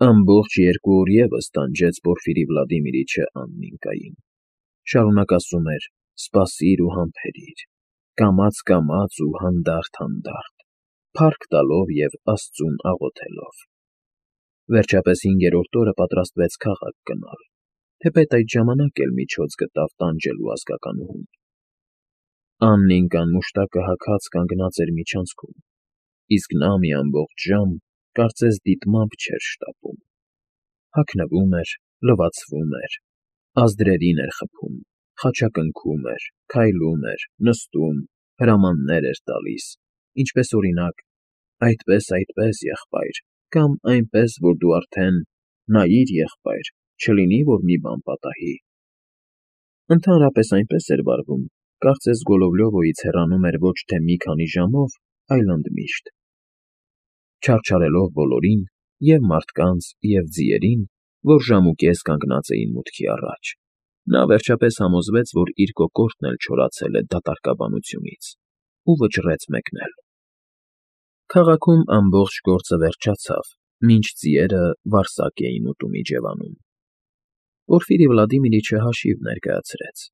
Ամբողջ 2 օր ևս տանջեց Պորֆիրի Վլադիմիրիչը Աննինկային. շարունակ ասում էր. «Սպասիր ու համբերիր», կամաց ու հանդարտ, փառք տալով և Աստծուն աղոթելով։ Վերջապես 5-րդ օրը պատրաստվեց քաղաք գնալ, թեպետ այդ ժամանակ էլ միջոց գտավ տանջելու ազգականուհուն։ Աննինկան մուշտակը հագած կանգնած էր միջանցքում, իսկ նա մի ամբողջ ժամ կարծես դիտմամբ չէր շտապում. հագնվում էր, լվացվում էր, ազդրերին էր խփում, խաչակնքում էր, քայլում էր, նստում, հրամաններ էր տալիս, ինչպես օրինակ. «Այդպես, եղբայր», կամ այնպես, որ դու արդեն «Նայիր, եղբայր, չլինի, որ մի բան պատահի»։ Ընդհանրապես այնպես էր վարվում, կարծես Գոլովլյովոյից հեռանում էր ոչ թե մի քանի ժամով, այլ ընդմիշտ։ Չարչարելով բոլորին, և՛ մարդկանց, և՛ ձիերին, որ ժամուկես կանգնած էին մուտքի առաջ, նա վերջապես համոզվեց, որ իր կոկորդն էլ չորացել է դատարկաբանությունից, ու վճռեց մեկնել։ Քաղաքում ամբողջ գործը վերջացավ, մինչ ձիերը վարսակ էին ուտում իջևանում։ Պորֆիրի Վլադիմիրիչը հաշիվ ներկայացրեց,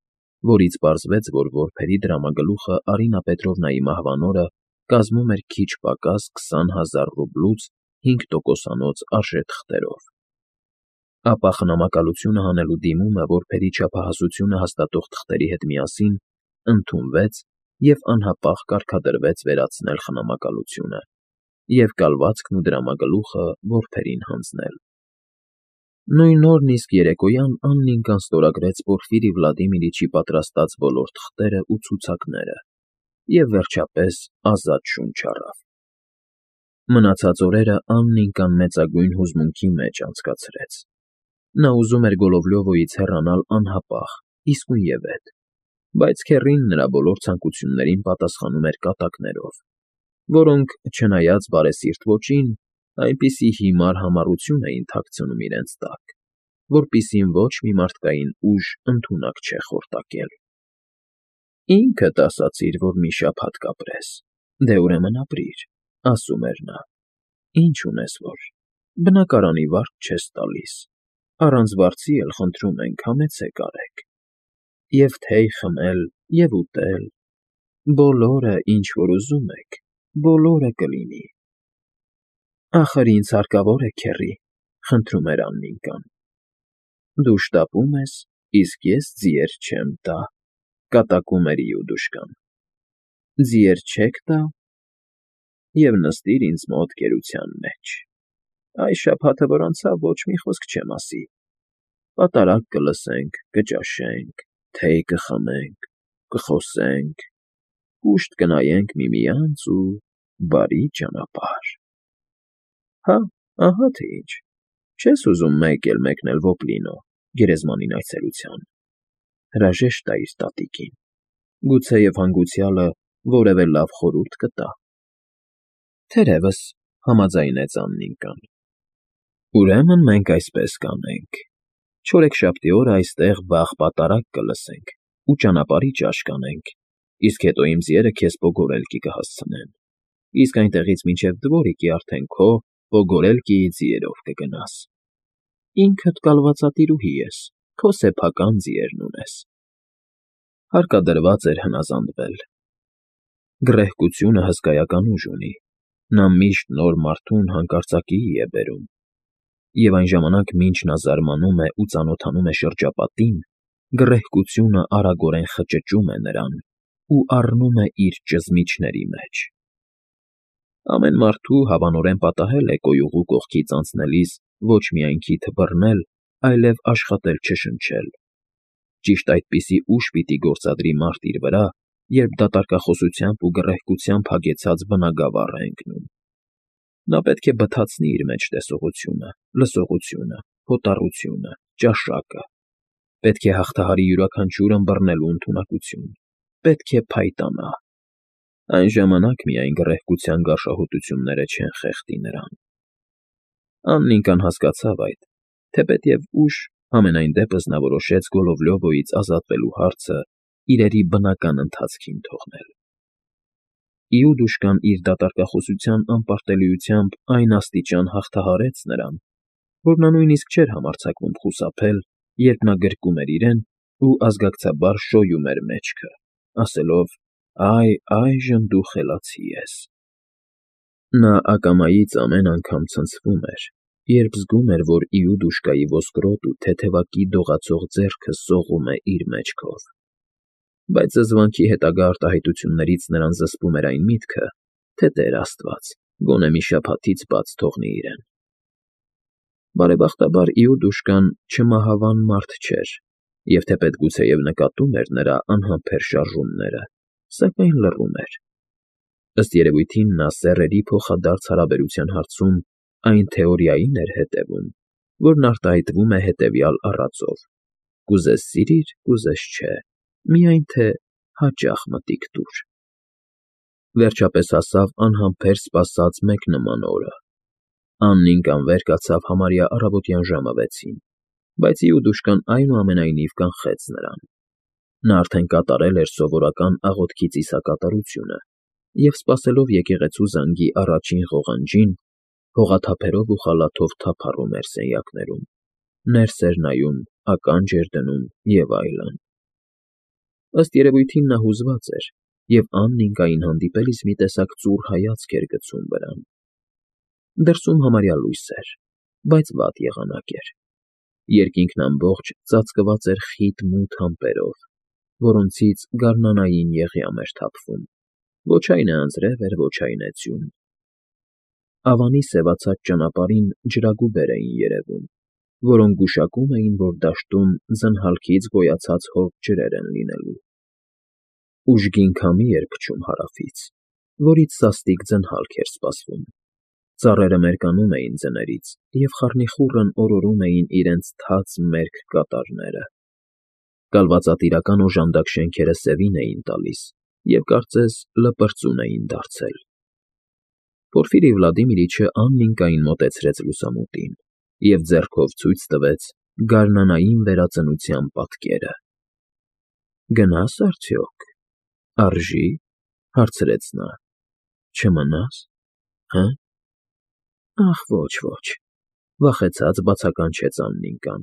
որից պարզվեց, որ որբերի դրամագլուխը Արինա Պետրովնայի մահվան օրը կազմում էր քիչ պակաս 20,000 ռուբլուց 5%-անոց արժեթղթերով։ Ապա խնամակալությունը հանելու դիմումը որբերի չափահասությունը հաստատող թղթերի հետ միասին ընդունվեց և անհապաղ կարգադրվեց վերացնել խնամակալությունը և կալվածքն ու դրամագլուխը որբերին հանձնել։ Նույն օրն իսկ երեկոյան Աննինկան ստորագրեց Պորֆիրի Վլադիմիրիչի պատրաստած բոլոր թղթերն ու ցուցակները և, վերջապես, ազատ շունչ առավ։ Մնացած օրերը Աննինկան մեծագույն հուզմունքի մեջ անցկացրեց։ Նա ուզում էր Գոլովլյովոյից հեռանալ անհապաղ, իսկույնևեթ, բայց քեռին նրա բոլոր ցանկություններին պատասխանում էր կատակներով, որոնք, չնայած բարեսիրտ ոճին, այնպիսի հիմար համառություն էին թաքցնում իրենց տակ, որպիսին ոչ մի մարդկային ուժ ընդունակ չէ խորտակել։ «Ինքդ ասացիր, որ մի շաբաթ կապրես, դե ուրեմն ապրիր», ասում էր նա։ «Ինչ ունես որ, բնակարանի վարկ չես տալիս, առանց վարձի էլ խնդրում ենք համեցեք արեք, և թեյ խմել, և ուտել, բոլորը, ինչ որ ուզում եք, բոլորը կլինի»։ «Ախր ինձ հարկավոր է, քեռի», խնդրում էր Աննինկան։ «Դու շտապում ես, իսկ ես ձիեր չեմ տա», կատակում էր Իուդուշկան։ «Ձիեր չեք տա, և նստիր ինձ մոտ գերության մեջ։ Այս շաբաթը, որ անցավ, ոչ մի խոսք չեմ ասի, պատարագ կլսենք, կճաշենք, թեյ կխմենք, կխոսենք, կուշտ կնայենք միմյանց ու բարի ճանապարհ։ Հա, ահա թե ինչ, չես ուզում մեկ էլ մեկնել Ոպլինո, գերեզմանին այցելության, հրաժեշտ տայիր տատիկին, գուցեև հանգուցյալը որևէ լավ խորհուրդ կտա»։ «Թերևս», համաձայնեց Աննինկան։ «Ուրեմն մենք այսպես կանենք. չորեքշաբթի օրը այստեղ վաղ պատարագ կլսենք ու ճանապարհի ճաշ կանենք, իսկ հետո իմ ձիերը քեզ Պոգորելկի կհասցնեն, իսկ այնտեղից մինչև Դվորիկի արդեն քո Պոգորելկիի ձիերով կգնաս։ Ինքդ կալվածատիրուհի ես, քո սեփական ձիերն ունես»։ Հարկադրված էր հնազանդվել։ Գռեհկությունը հսկայական ուժ ունի, նա միշտ նոր մարդուն հանկարծակիի է բերում, և այն ժամանակ, մինչ նա զարմանում է ու ծանոթանում է շրջապատին, գռեհկությունը արագորեն խճճում է նրան ու առնում է իր ճզմիչների մեջ։ Ամեն մարդու հավանորեն պատահել է կոյուղու կողքից անցնելիս ոչ միայն քիթը բռնել, այլև աշխատել չշնչել։ Ճիշտ այդպիսի ուժ պիտի գործադրի մարդ իր վրա, երբ դատարկախոսությամբ ու գռեհկությամբ հագեցած բնագավառ է ընկնում։ Նա պետք է բթացնի իր մեջ տեսողությունը, լսողությունը, հոտառությունը, ճաշակը, պետք է հաղթահարի յուրաքանչյուր ըմբռնելու ընդունակություն, պետք է փայտանա։ Այն ժամանակ միայն գռեհկության գարշահոտությունները չեն խեղդի նրան։ Աննինկան հասկացավ այդ, թեպետև ուշ, համենայն դեպս նա որոշեց Գոլովլյովոյից ազատվելու հարցը իրերի բնական ընթացքին թողնել։ Իուդուշկան իր դատարկախոսության անպարտելիությամբ այն աստիճան հաղթահարեց նրան, որ նա նույնիսկ չէր համարձակվում խուսափել, երբ նա գրկում էր իրեն ու ազգակցաբար շոյում էր մեջքը, ասելով. «Այ, այժմ դու խելացի ես»։ Նա ակամայից ամեն անգամ ցնցվում էր, երբ զգում էր, որ Իուդուշկայի ոսկրոտ ու թեթևակի դողացող ձեռքը սողում է իր մեջքով։ Բայց զզվանքի հետագա արտահայտություններից նրան զսպում էր այն միտքը, թե Տեր Աստված գոնե մի շաբաթից բաց թողնի իրեն։ Բարեբախտաբար Իուդուշկան չմահավան մարդ չէր, և թեպետ գուցեև նկատում էր նրա անհամբեր շարժումները, սակայն լռում էր։ Ըստ երևույթին նա սեռերի փոխադարձ հարաբերության հարցում այն թեորիային էր հետևում, որն արտահայտվում է հետևյալ առածով. «Կուզես սիրիր, կուզես չէ, միայն թե հաճախ մտիկ տուր»։ Վերջապես հասավ անհամբեր սպասած մեկ նման օրը։ Աննին անվեր կացավ համարյա առավոտյան ժամը 6-ին, բայց Իուդուշկան այնուամենայնիվ կանխեց նրան։ Նա արդեն կատարել էր սովորական աղոթքի ծիսակատարությունը և, սպասելով եկեղեցու զանգի առաջին ղողանջին, հողաթափերով ու խալաթով թափառում էր սենյակներում, ներս էր նայում, ականջ էր դնում և այլն։ Ըստ երևույթին նա հուզված էր և Աննիկային հանդիպելիս մի տեսակ ծուռ հայացք էր գցում վրան։ Դրսում համարյա լույս էր, բայց վատ եղանակ էր։ Երկինքն ամբողջ ծածկված էր խիտ մութ ամպերով, որոնցից գարնանային եղյամ էր թափվում, ոչ այն է անձրև էր, ոչ այն է ձյուն։ Ավանի սևացած ճանապարհին ջրագուբեր էին երևում, որոնք գուշակում էին, որ դաշտում ձնհալքից գոյացած հով ջրեր են լինելու։ Ուժգին քամի էր փչում հարավից, որից սաստիկ ձնհալք էր սպասվում։ Ծառերը մերկանում էին ձներից և խառնիխուռն օրորում էին իրենց թաց մերկ կատարները։ Կալվածատիրական օժանդակ շենքերը սևին էին տալիս և կարծես լպրծուն էին դարձել։ Պորֆիրի Վլադիմիրիչը Աննիկային մոտեցրեց լուսամուտին և ձեռքով ցույց տվեց գարնանային վերածնության պատկերը։ «Գնա՞ս արդյոք, արժի՞, հարցրեց նա, չմնաս, հը՞։ Ախ, ոչ, վախեցած բացականչեց Աննիկան,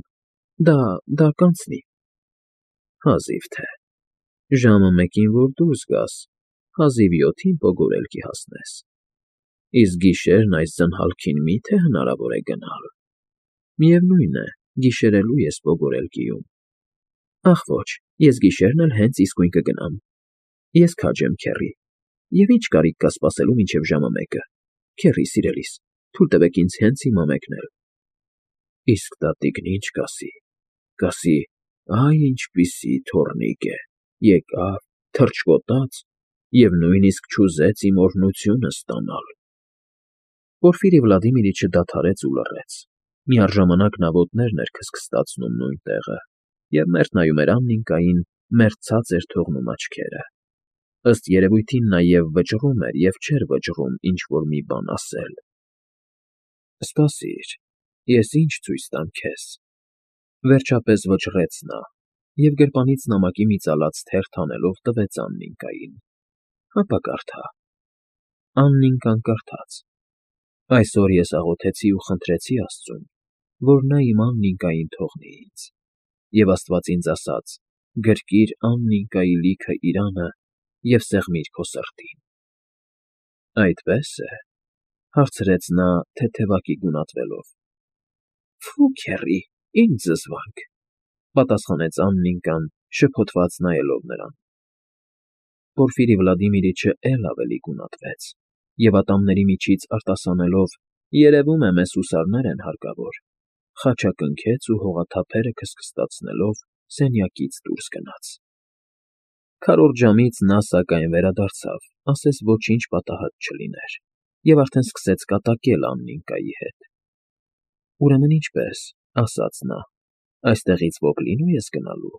դա կանցնի։ Հազիվ թե, ժամը 1-ին որ դուրս գաս, հազիվ 7-ին պոգորելքի հասնես, իսկ գիշերն այս ձնհալքին մի՞թե հնարավոր է գնալ։ Միևնույն է, գիշերելու ես պոգորելկիում։ Ախ ոչ, ես գիշերն էլ հենց իսկույն կգնամ։ Ես քաջ եմ, քեռի, և ի՞նչ կարիք կա սպասելու մինչև ժամը 1-ը, քեռի սիրելիս, թույլ տվեք ինձ հենց հիմա մեկնել։ Իսկ տատիկն ի՞նչ կասի։ Կասի. «Այ ինչպիսի թոռնիկ է, եկավ, թռչկոտաց և նույնիսկ չուզեց իմ օրհնությունը ստանալ»։ Պորֆիրի Վլադիմիրիչը դադարեց ու լռեց։ Միառժամանակ նա ոտներն էր քստքստացնում նույն տեղը և մերթ նայում էր Աննիկային, մերթ ցած էր թողնում աչքերը։ Ըստ երևույթին նա և վճռում էր և չէր վճռում ինչ֊որ մի բան ասել։ «Սպասիր, ես ինչ ցույց տամ քեզ», վերջապես վճռեց նա և գրպանից նամակի մի ծալած թերթ հանելով տվեց Աննիկային։ «Հապա կարդա»։ Աննիկան կարդաց. «Այսօր ես աղոթեցի ու խնդրեցի Աստծուն, որ նա իմ Աննիկային թողնի ինձ, և Աստված ինձ ասաց. գրկիր Աննիկայի լիքը իրանը և սեղմիր քո սրտին»։ Այդպե՞ս է, հարցրեց նա թեթևակի գունատվելով։ Ֆի, քեռի, ինչ զզվանք, պատասխանեց Աննիկան, շփոթված նայելով նրան։ Պորֆիրի Վլադիմիրիչը էլ ավելի գունատվեց և ատամների միջից արտասանելով. «Երևում է, մեզ հուսարներ են հարկավոր», խաչակնքեց ու հողաթափերը քստքստացնելով սենյակից դուրս գնաց։ Քառորդ ժամից նա, սակայն, վերադարձավ, ասես ոչինչ պատահած չլիներ, և արդեն սկսեց կատակել Աննիկայի հետ։ «Ուրեմն ինչպե՞ս», ասաց նա, «այստեղից Ոկլինո՞ւ ես գնալու։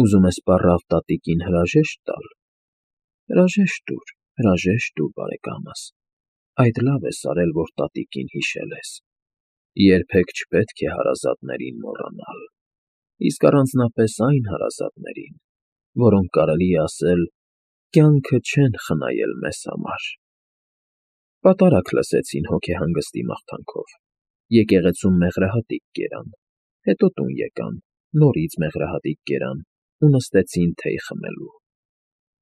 Ուզում ես պառավ տատիկին հրաժեշտ տալ։ Հրաժեշտ տուր, բարեկամս, այդ լավ ես արել, որ տատիկին հիշել ես։ Երբեք չպետք է հարազատներին մոռանալ, իսկ առանձնապես այն հարազատներին, որոնք կարելի է ասել կյանքը չեն խնայել մեզ համար»։ Պատարագ լսեցին հոգեհանգստի մաղթանքով։ Եկեղեցում մեղրահատիկ կերան, հետո տուն եկան, նորից մեղրահատիկ կերան ու նստեցին թեյ խմելու։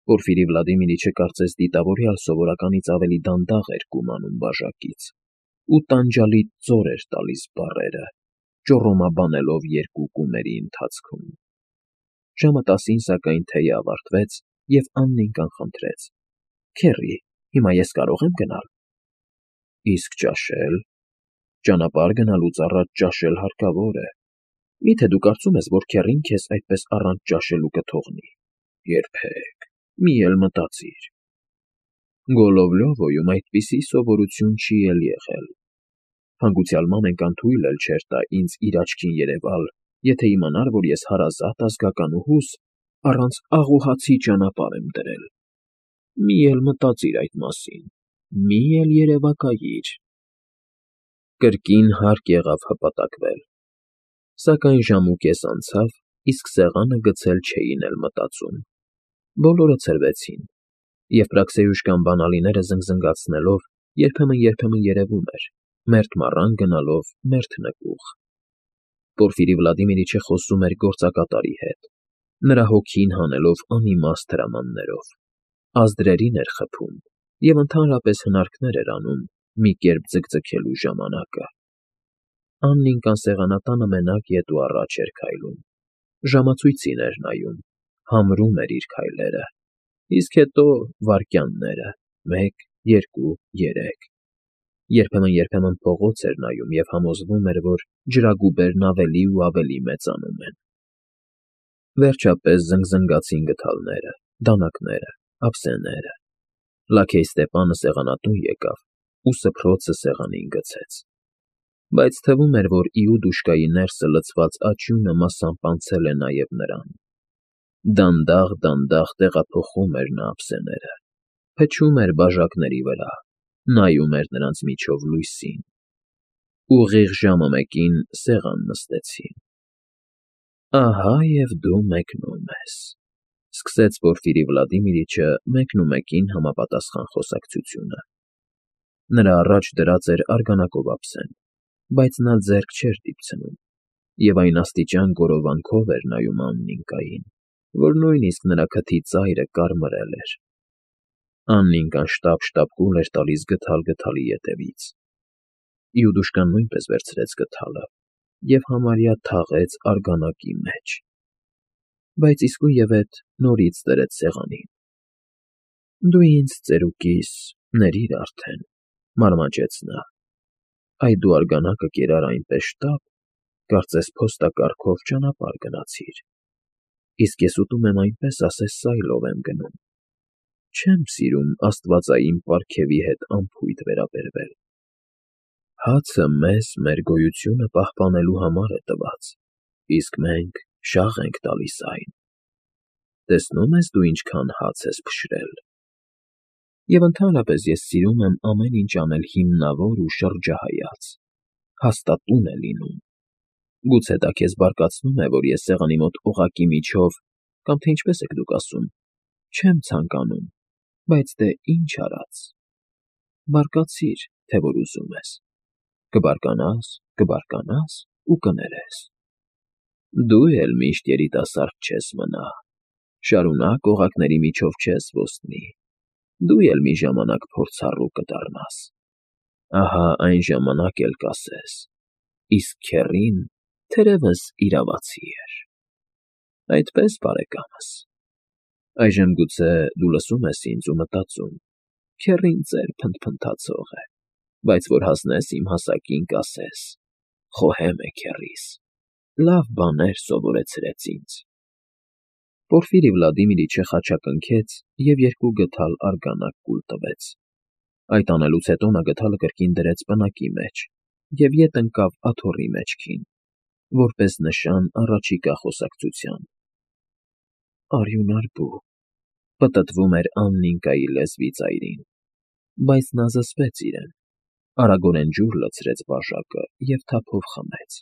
Պորֆիրի Վլադիմիրիչը կարծես դիտավորյալ սովորականից ավելի դանդաղ էր կումանում բաժակից ու տանջալից ծոր էր տալիս բառերը, ճոռոմաբանելով երկու կումերի ընթացքում։ Ժամը 10-ին, սակայն, թեյը ավարտվեց, և Աննիկան խնդրեց. «Քեռի, հիմա ես կարո՞ղ եմ գնալ»։ «Իսկ ճաշել»։ «Ճանապարհ գնալուց առաջ ճաշել հարկավոր է։ Մի՞թե դու կարծում ես, որ քեռին քեզ այդպես առանց ճաշելու կթողնի։ Երբեք, մի էլ մտածիր»։ Գոլովլյովոյում այդպիսի սովորություն չի էլ եղել։ Հանգուցյալ մամենկան թույլ էլ չէր տա ինձ իր աչքին երևալ, եթե իմանար, որ ես հարազատ ազգականուհուս առանց աղոհացի ճանապարհ եմ դրել։ Մի էլ մտածիր այդ մասին, մի էլ երևակայիր։ Կրկին հարկ եղավ հպատակվել։ Սակայն ժամ ու կես անցավ, իսկ սեղանը գցել չէին էլ մտածում։ Բոլորը ցրվեցին, և Պրաքսեյուշկան բանալիները զնգզնգացնելով երբեմն երևում էր, մերթ մառան գնալով մերթ նկուղ։ Պորֆիրի Վլադիմիրիչը խոսում էր գործակատարի հետ, նրա հոգին հանելով անիմաստ հրամաններով, ազդրերին էր խփում և ընդհանրապես հնարքներ էր անում մի կերպ ձգձգելու ժամանակը։ Աննիկան սեղանատանը մենակ ետ ու առաջ էր քայլում, ժամացույցին էր նայում, համրում էր իր քայլերը, իսկ հետո վայրկյանները՝ 1, 2, 3։ Երբեմն փողոց էր նայում և համոզվում էր, որ ջրագուբերն ավելի ու ավելի մեծանում են։ Վերջապես զնգզնգացին գդալները, դանակները, ափսեները։ Լաքեյ Ստեպանը սեղանատուն եկավ ու սփռոցը սեղանին գցեց։ Բայց թվում էր, որ Իուդուշկայի ներսը լցված աճյունը մասամբ անցել է նաև նրան։ Դանդաղ տեղափոխում էր նա ափսեները, փչում էր բաժակների վրա, նայում էր նրանց միջով լույսին։ Ուղիղ ժամը 1-ին սեղան նստեցին։ «Ահա և դու մեկնում ես», ֊ սկսեց Պորֆիրի Վլադիմիրիչը մեկնումեկին համապատասխան խոսակցությունը։ Նրա առաջ դրած էր արգանակով ափսեն, բայց նա ձեռք չէր դիպցնում, և այն աստիճան գորովանքով էր նայում Աննիկային, որ նույնիսկ նրա քթի ծայրը կարմրել էր։ Աննիկան շտապ կուլ էր տալիս գդալ գդալի ետևից։ Իուդուշկան նույնպես վերցրեց գդալը և համարյա թաղեց արգանակի մեջ, բայց իսկույնևեթ նորից դրեց սեղանին։ «Դու ինձ ծերուկիս ներիր արդեն», ֊ մարմաճեց նա։ «Այ դու արգանակը կերար այնպես շտապ, կարծես փոստակառքով ճանապարհ գնացիր, իսկ ես ուտում եմ այնպես, ասես սայլով եմ գնում։ Չեմ սիրում աստվածային պարգևի հետ անփույթ վերաբերվել։ Հացը մեզ մեր գոյությունը պահպանելու համար է տված, իսկ մենք շաղ ենք տալիս այն։ Տեսնո՞ւմ ես դու ինչքան հաց ես փշրել։ Եվ ընդհանրապես ես սիրում եմ ամեն ինչ անել հիմնավոր ու շրջահայաց, հաստատուն է լինում։ Գուցե դա քեզ բարկացնում է, որ ես սեղանի մոտ օղակի միջով, կամ թե ինչպես եք դուք ասում, չեմ ցանկանում, բայց դե ինչ արած։ Բարկացիր, թե որ ուզում ես։ Կբարկանաս ու կներես։ Դու էլ միշտ երիտասարդ չես մնա, շարունակ օղակների միջով չես ոսնի, դու էլ մի ժամանակ փորձառու կդառնաս։ Ահա այն ժամանակ էլ կասես. իսկ քեռին թերևս իրավացի էր։ Այդպես, բարեկամս։ Այժմ գուցե դու լսում ես ինձ ու մտածում. քեռին ծեր փնթփնթացող է, բայց որ հասնես իմ հասակին, կասես. խոհեմ է քեռիս, լավ բաներ սովորեցրեց ինձ։ Պորֆիրի Վլադիմիրիչը խաչակնքեց և 2 գդալ արգանակ կուլ տվեց։ Այդ անելուց հետո նա գդալը կրկին դրեց պնակի մեջ և ետ ընկավ աթոռի մեջքին, որպես նշան առաջիկա խոսակցության։ Արյունարբու, պտտվում էր Աննիկայի լեզվի ծայրին, բայց նա զսպեց իրեն, արագորեն ջուր լցրեց բաժակը և թափով խմեց։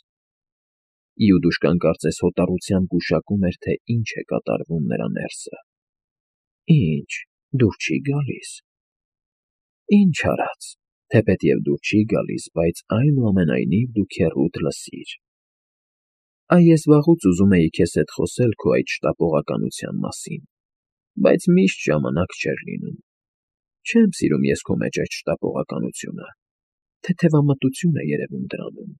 Իուդուշկան կարծես հոտառությամբ գուշակում էր, թե ինչ է կատարվում նրա ներսը։ Ինչ, դուր չի գալիս։ Ինչ արած, թեպետև դուր չի գալիս, բայց այնուամենայնիվ դու քեռուդ լսիր։ Այ ես վաղուց ուզում էի քեզ հետ խոսել քո այդ շտապողականության մասին, բայց միշտ ժամանակ չէր լինում։ Չեմ սիրում ես քո մեջ այդ շտապողականությունը, թեթևամտություն է երևում դրանում,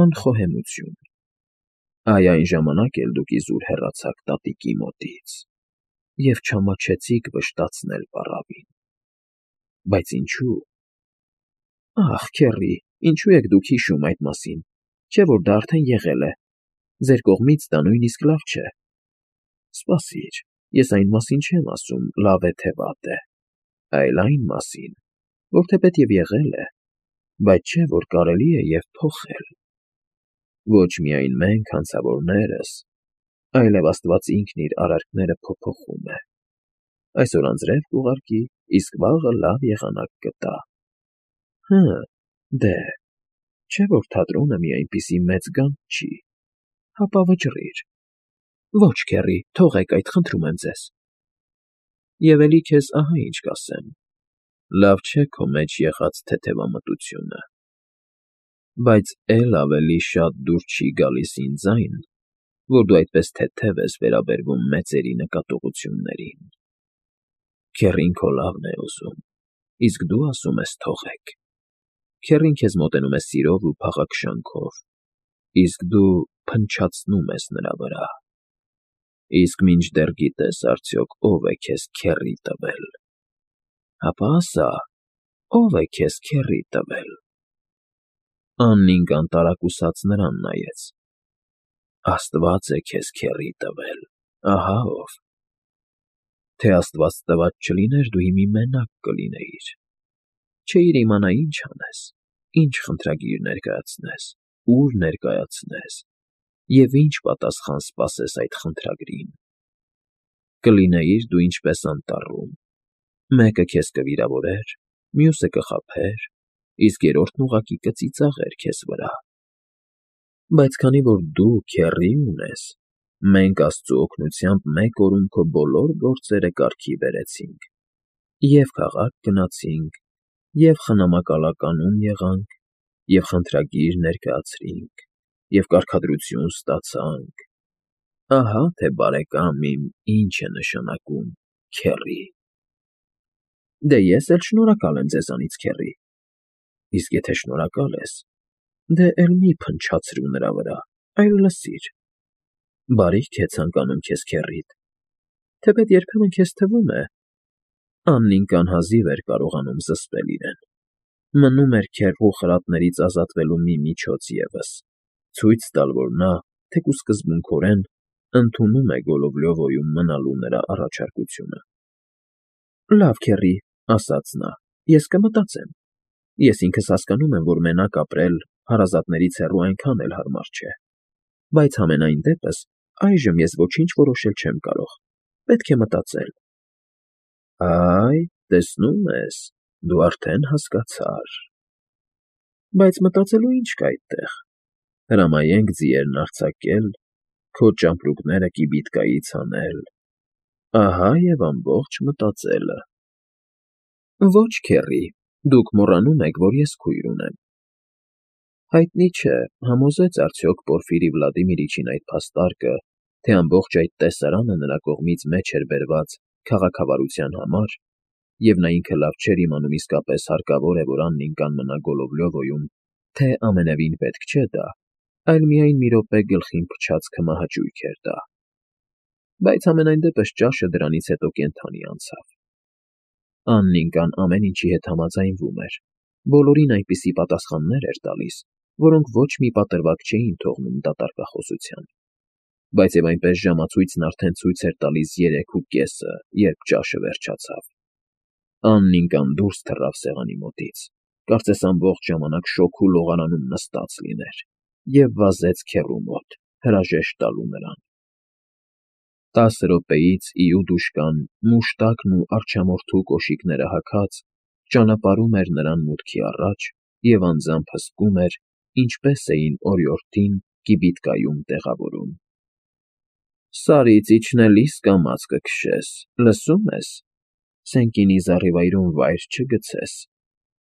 անխոհեմություն։ Այ այն ժամանակ էլ դուք իզուր հեռացաք տատիկի մոտից և չամաչեցիք վշտացնել պառավին։ Բայց ինչու՞։ Ախ, քեռի, ինչու եք դուք հիշում այդ մասին, չէ՞ որ դա արդեն եղել է։ Ձեր կողմից դա նույնիսկ լավ չէ։ Սպասիր, ես այն մասին չեմ ասում, լավ է թե վատ է, այլ այն մասին, որ թեպետև եղել է, բայց չէ որ կարելի է և փոխել։ Ոչ միայն մենք, հանցավորներս, այլև Աստված ինքն իր արարքները փոփոխում է։ Այսօր անձրև կուղարկի, իսկ վաղը լավ եղանակ կտա։ Դե, չէ որ թատրոնը մի այնպիսի մեծ գանձ չի, հապա վճռիր։ Ոչ, քեռի, թողեք այդ, խնդրում եմ ձեզ։ Եվ էլի քեզ ահա ինչ կասեմ. լավ չէ քո մեջ եղած թեթևամտությունը, բայց էլ ավելի շատ դուր չի գալիս ինձ այն, որ դու այդպես թեթև ես վերաբերվում մեծերի նկատողություններին։ Քեռին քո լավն է ուզում, իսկ դու ասում ես թողեք։ Քեռին քեզ մոտենում է սիրով ու փաղաքշանքով, իսկ դու փնչացնում ես նրա վրա։ Իսկ մինչդեռ գիտես արդյոք ով է քեզ քեռի տվել։ Հապա ասա, ով է քեզ քեռի տվել։ Աննին կանտարակուսած նրան նայեց։ Աստված է քեզ քեռի տվել, ահա ով։ Թե Աստված տված չլիներ, դու հիմա մենակ կլինեիր։ Չէիր իմանա ինչ անես, ինչ խնդրագիր ներկայացնես, ուր ներկայացնես և ինչ պատասխան սպասես այդ խնդրագրին։ Կլինեիր դու ինչպես անտառում, մեկը քեզ կվիրավորեր, մյուսը կխաբեր, իսկ երրորդն ուղղակի կծիծաղեր քեզ վրա։ Բայց քանի որ դու քեռի ունես, մենք Աստծու օգնությամբ մեկ օրում քո բոլոր գործերը կարգի բերեցինք, և քաղաք գնացինք, և խնամակալականում եղանք, և խնդրագիր ներկայացրինք, և կարգադրություն ստացանք։ Ահա թե բարեկամ իմ ինչ է նշանակում քեռի։ Դե ես էլ շնորհակալ եմ ձեզանից, քեռի։ Իսկ եթե շնորհակալ ես, դե էլ մի փնչացրու նրա վրա, այլ լսիր։ Բարիք է ցանկանում քեզ քեռիդ, թեպետ երբեմն քեզ թվում է… Աննին կանհազիվ էր կարողանում զսպել իրեն։ Մնում էր քեռու խրատներից ազատվելու մի միջոց ևս, ցույց տալ, որ նա, թեկուզ սկզբունքորեն, ընդունում է Գոլովլյովոյում մնալու նրա առաջարկությունը։ Լավ, քեռի, ասաց նա, ես կմտածեմ։ Ես ինքս հասկանում եմ, որ մենակ ապրել հարազատներից հեռու այնքան էլ հարմար չէ։ Բայց համենայն դեպս այժմ ես ոչինչ որոշել չեմ կարող, պետք է մտածել։ Այ, տեսնում ես, դու արդեն հասկացար։ Բայց մտածելու ինչ կա այդտեղ։ Հրամայենք ձիերն արձակել, քո ճամպրուկները կիբիտկայից հանել, ահա և ամբողջ մտածելը։ Ոչ, քեռի, դուք մոռանում եք, որ ես քույր ունեմ։ Հայտնի չէ, համոզեց արդյոք Պորֆիրի Վլադիմիրիչին այդ փաստարկը, թե ամբողջ այդ տեսարանը նրա կողմից մեջ էր բերված քաղաքավարության համար, և նա ինքը լավ չէր իմանում իսկապես հարկավոր է, որ Աննին կանգնա Գոլովլյովոյում, թե ամենևին պետք չէ դա, այլ միայն մի րոպե գլխին փչած քմահաճույք էր դա։ Բայց համենայն դեպս ճաշը դրանից հետո կենդանի անցավ։ Աննին կան ամեն ինչի հետ համաձայնվում էր, բոլորին այնպիսի պատասխաններ էր տալիս, որոնք ոչ մի պատրվակ չէին թողնում դատարկախոսության։ Բայց և այնպես ժամացույցն արդեն ցույց էր տալիս 3:30, երբ ճաշը վերջացավ։ Աննինկան դուրս թռավ սեղանի մոտից, կարծես ամբողջ ժամանակ շոգ ու լողարանում նստած լիներ, և վազեց քեռու մոտ, հրաժեշտ տալու նրան։ 10 րոպեից իուդուշկան, մուշտակն ու արջամորթու կոշիկները հագած, ճանապարհում էր նրան մուտքի առաջ և անձամբ հսկում էր, ինչպես էին օրիորդին կիբիտկայում տեղավորում։ Սարից իջնելիս կամաց կքշես, լսո՞ւմ ես, սենկինի զառիվայրում վայր չգցես,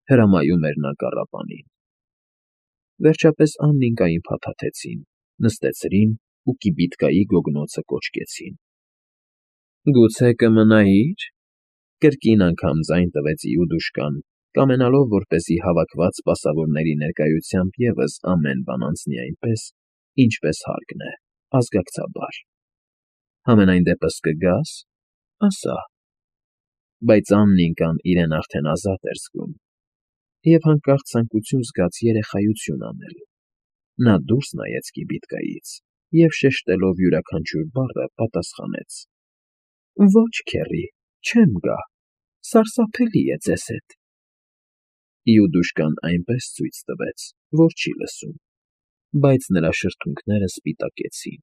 Հրամայում էր նա կառապանին։ Վերջապես Աննիկային փաթաթեցին, նստեցրին ու կիբիտկայի գոգնոցը կոչկեցին։ «Գուցե կմնայի՞ր,» կրկին անգամ ձայն տվեց Իուդուշկան, կամենալով, որպեսզի հավաքված սպասավորների ներկայությամբ ևս ամեն բան անցնի այնպես, ինչպես հարկն է, ազգակցաբար։ «Համենայն դեպս կգա՞ս, ասա»։ Բայց Աննիկան իրեն արդեն ազատ էր զգում և հանկարծ ցանկություն զգաց երեխայություն անել։ Նա դուրս նայեց կիբիտկայից և, շեշտելով յուրաքանչյուր բառը, պատասխանեց. «Ոչ, քեռի, չեմ գա, սարսափելի է ձեզ հետ»։ Իուդուշկան այնպես ցույց տվեց, որ չի լսում, բայց նրա շրթունքները սպիտակեցին։